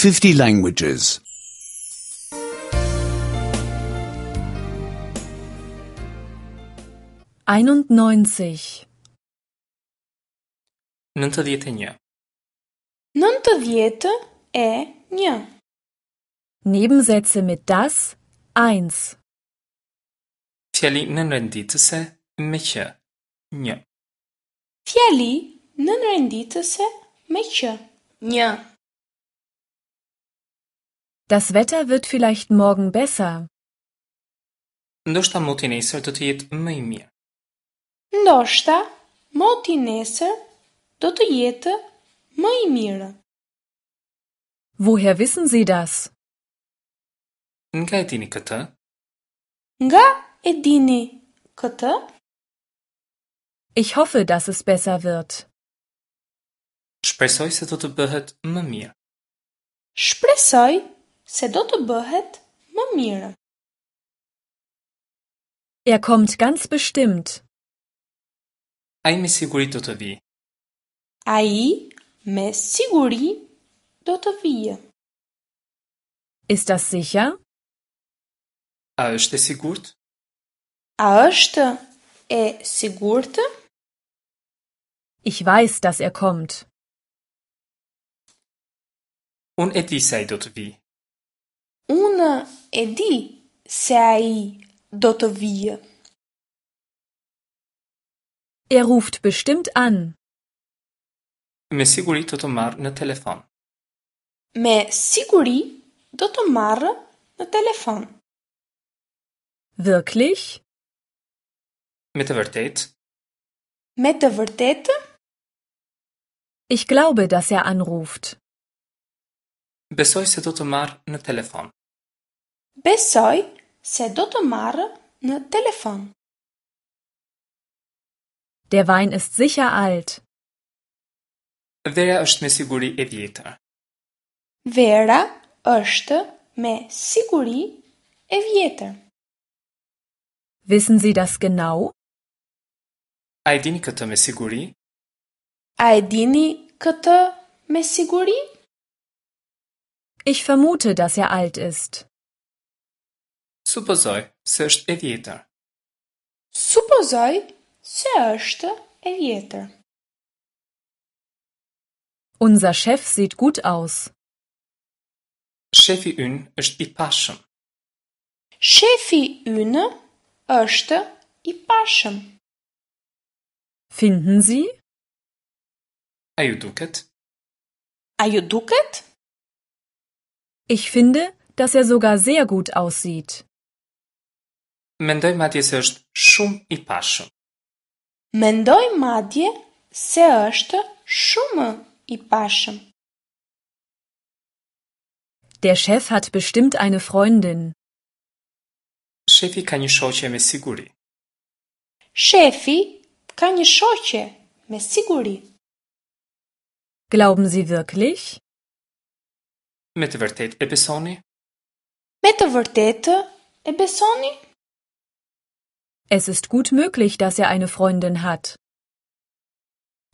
50 languages. 91. 91. 91. Nebensätze mit das 1. Fjali nënrenditëse me që. 1. Fjali nënrenditëse me që. 1. Das Wetter wird vielleicht morgen besser. Ndoshta moti nesër do të jetë më i mirë. Ndoshta moti nesër do të jetë më i mirë. Woher wissen Sie das? Nga e dini këtë? Nga e dini këtë? Ich hoffe, dass es besser wird. Shpresoj se do të bëhet më mirë. Shpresoj se do të bëhet më mirë. Er kommt ganz bestimmt. Ai me siguri do të vijë. Ai me siguri do të vijë. Ist das sicher? A është e sigurt? A është e sigurt? Ich weiß, dass er kommt. Unë e di se ai do të vijë. Unë e di se ai do të vijë. Er ruft bestimmt an. Me siguri do të marrë në telefon. Me siguri do të marrë në telefon. Wirklich? Me të vërtetë? Me të vërtetë? Ich glaube, dass er anruft. Besoj se do të marrë në telefon. Besoj se do të marrë në telefon. Der Wein ist sicher alt. Vera është me siguri e vjetër. Vera është me siguri e vjetër. Wissen Sie das genau? A e dini këtë me siguri? A e dini këtë me siguri? Ich vermute, dass er alt ist. Supozoj se është e vjetër. Supozoj se është e vjetër. Unser Chef sieht gut aus. Shefi ynë është i pashëm. Shefi ynë është i pashëm. Finden Sie? A ju duket? A ju duket? Ich finde, dass er sogar sehr gut aussieht. Mendoj madje se është shumë i pashëm. Mendoj madje se është shumë i pashëm. Der Chef hat bestimmt eine Freundin. Shefi ka një shoqe me siguri. Shefi ka një shoqe me siguri. Glauben Sie wirklich? Me të vërtetë e besoni? Me të vërtetë e besoni? Es ist gut möglich, dass er eine Freundin hat.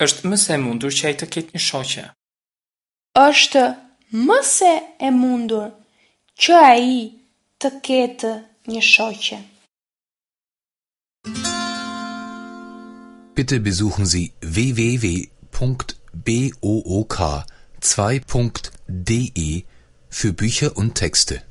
Është më se e mundur që ai të ketë një shoqe. Është më se e mundur që ai të ketë një shoqe. Bitte besuchen Sie www.book2.de für Bücher und Texte.